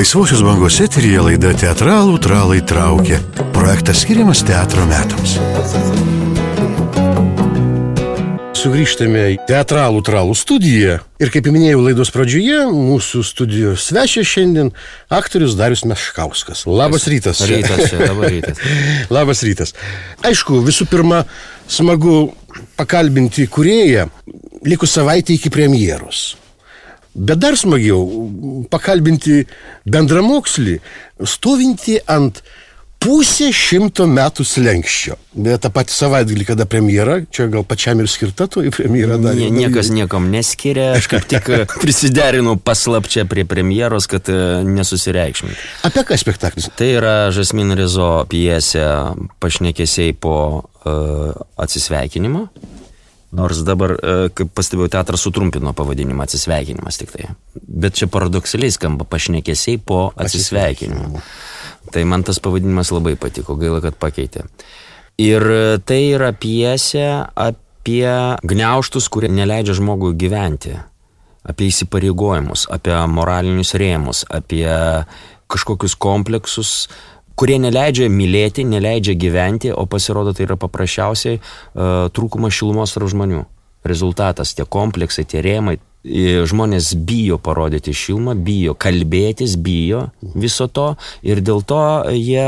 Laisvosios bangos eteryje laida Teatralų tralai traukia. Projektas skiriamas teatro metams. Sugrįžtame į Teatralų tralų studiją. Ir kaip minėjau laidos pradžioje, mūsų studijos svečias šiandien aktorius Darius Meškauskas. Labas rytas. Labas rytas. Aišku, visų pirma, smagu pakalbinti kūrėją likus savaitę iki premjeros. Bet dar smagiau pakalbinti bendramokslį, stovinti ant 100 metų slenkščio. Bet tą patį savaitgalį, kada premjera, čia gal pačiam ir skirta to į premjerą dar. Niekas niekam neskiria, aš kaip tik prisiderinu paslapčia prie premjeros, kad nesusireikšminti. Apie ką spektaklis? Tai yra Žasmin Rezo pjesė Pašnekesiai po atsisveikinimo. Nors dabar, kaip pastebėjau, teatras sutrumpino pavadinimą atsisveikinimas tik tai. Bet čia paradoksaliai skamba Pašnekesiai po atsisveikinimo. Tai man tas pavadinimas labai patiko, gaila, kad pakeitė. Ir tai yra pjesė apie gniaužtus, kurie neleidžia žmogui gyventi. Apie įsipareigojimus, apie moralinius rėmus, apie kažkokius kompleksus, kurie neleidžia mylėti, neleidžia gyventi, o pasirodo tai yra paprasčiausiai trūkumas šilumos tarp žmonių. Rezultatas, tie kompleksai, tie rėmai, žmonės bijo parodyti šilumą, bijo kalbėtis, bijo viso to ir dėl to jie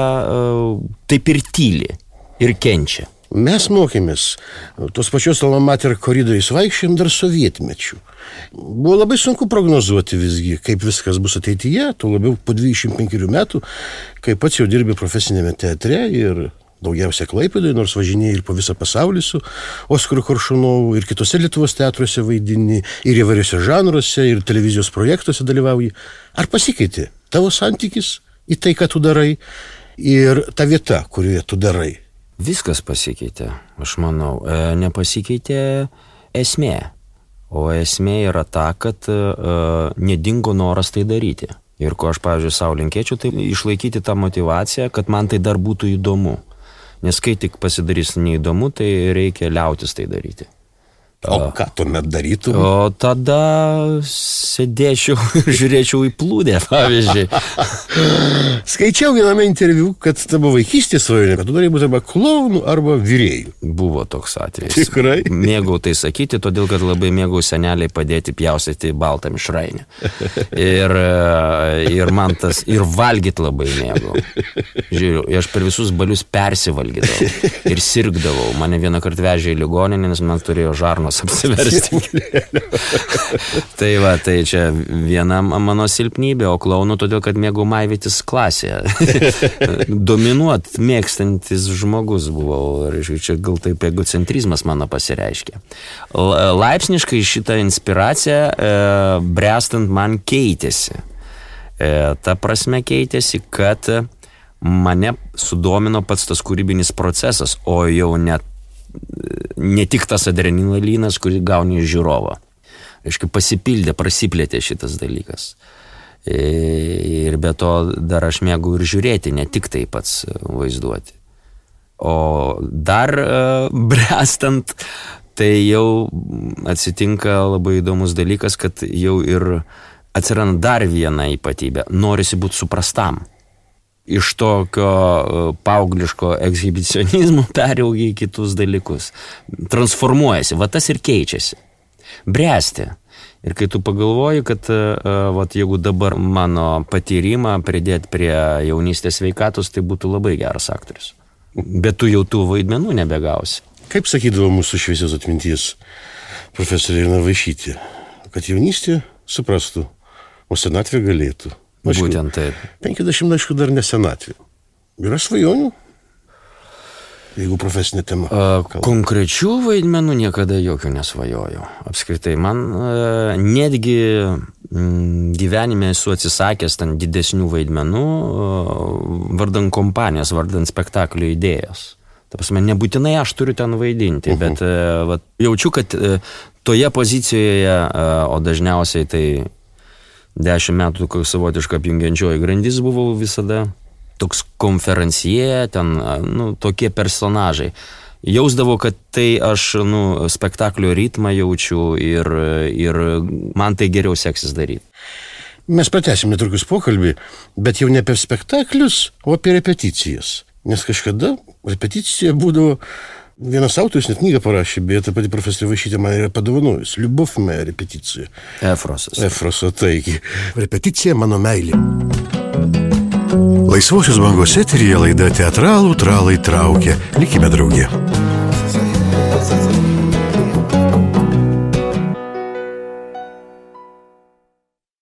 taip ir tyli ir kenčia. Mes mokėmės tos pačios alma mater koridoriais vaikščiojom dar sovietmečių. Buvo labai sunku prognozuoti visgi, kaip viskas bus ateityje, tuo labiau po 25 metų, kai pats jau dirbi profesinėme teatre ir daugiausia Klaipėdoje, nors važinėjai ir po visą pasaulį su Oskaru Koršunovu ir kitose Lietuvos teatruose vaidini, ir įvairiuose žanruose, ir televizijos projektuose dalyvauji. Ar pasikeitė tavo santykis į tai, ką tu darai, ir ta vieta, kurioje tu darai? Viskas pasikeitė, aš manau. Nepasikeitė esmė. O esmė yra ta, kad nedingo noras tai daryti. Ir ko aš, pavyzdžiui, savo linkėčiau, tai išlaikyti tą motyvaciją, kad man tai dar būtų įdomu. Nes kai tik pasidarys neįdomu, tai reikia liautis tai daryti. O ką tuomet darytum? O tada sėdėčiau ir žiūrėčiau į plūdę, pavyzdžiui. Skaičiau viename interviu, kad tavo vaikystės svajonė, kad tu norėjai būti arba klounu, arba virėju. Buvo toks atvejis. Tikrai? Mėgau tai sakyti, todėl kad labai mėgau seneliai padėti pjaustyti baltą mišrainę. Ir man tas, ir valgyti labai mėgau. Žiūrėjau, aš per visus balius persivalgydavau ir sirgdavau. Mane vieną kartą vežė į ligoninę, nes man turėjo žarnos apsiversti. Tai va, tai čia viena mano silpnybė, o klounu todėl, kad mėgau maivytis klasėje. Dominuot mėgstantis žmogus buvau. Ir čia gal taip egocentrizmas mano pasireiškė. Laipsniškai šitą inspiraciją bręstant man keitėsi. Ta prasme keitėsi, kad mane sudomino pats tas kūrybinis procesas, o jau ne tik tas adrenalinas, kurį gauni iš žiūrovo. Aiškiai, pasipildė, prasiplėtė šitas dalykas. Ir be to dar aš mėgau ir žiūrėti, ne tik tai pats vaizduoti. O dar bręstant, tai jau atsitinka labai įdomus dalykas, kad jau ir atsiranda dar viena ypatybė. Norisi būti suprastam. Iš tokio paaugliško ekshibicionizmo peraugia į kitus dalykus. Transformuojasi, va tas ir keičiasi. Bręsti. Ir kai tu pagalvoji, kad jeigu dabar mano patyrimą pridėti prie jaunystės sveikatos, tai būtų labai geras aktorius. Bet tu jau tų vaidmenų nebegausi. Kaip sakydavo mūsų šviesios atminties profesorė Irena Vaišytė, kad jaunystė suprastų, o senatvė galėtų. Būtent taip. 50, aišku, dar nesenatvė. Yra svajonių? Jeigu profesinė tema. Konkrečių vaidmenų niekada jokių nesvajoju. Apskritai, man netgi gyvenime esu atsisakęs ten didesnių vaidmenų vardan kompanijos, vardan spektaklio idėjos. Ta prasme, nebūtinai aš turiu ten vaidinti, bet jaučiu, kad toje pozicijoje, o dažniausiai tai 10 metų savotiška apjungiančioji grandis buvau visada, toks konferencijė, ten, tokie personažai. Jausdavau, kad tai aš, spektaklio ritmą jaučiu ir man tai geriau seksis daryti. Mes pratęsim netrukus pokalbį, bet jau ne apie spektaklius, o apie repeticijas. Nes kažkada repeticija būdavo, vienas autorius net knygą parašė, bet ta pati profesorė Vaišytė man yra padovanojus. Liubov moja repeticija. Efroso, taigi. Repeticija mano meilė. Laisvosios bangos eteryje laida Teatralų tralai traukia. Likime drauge.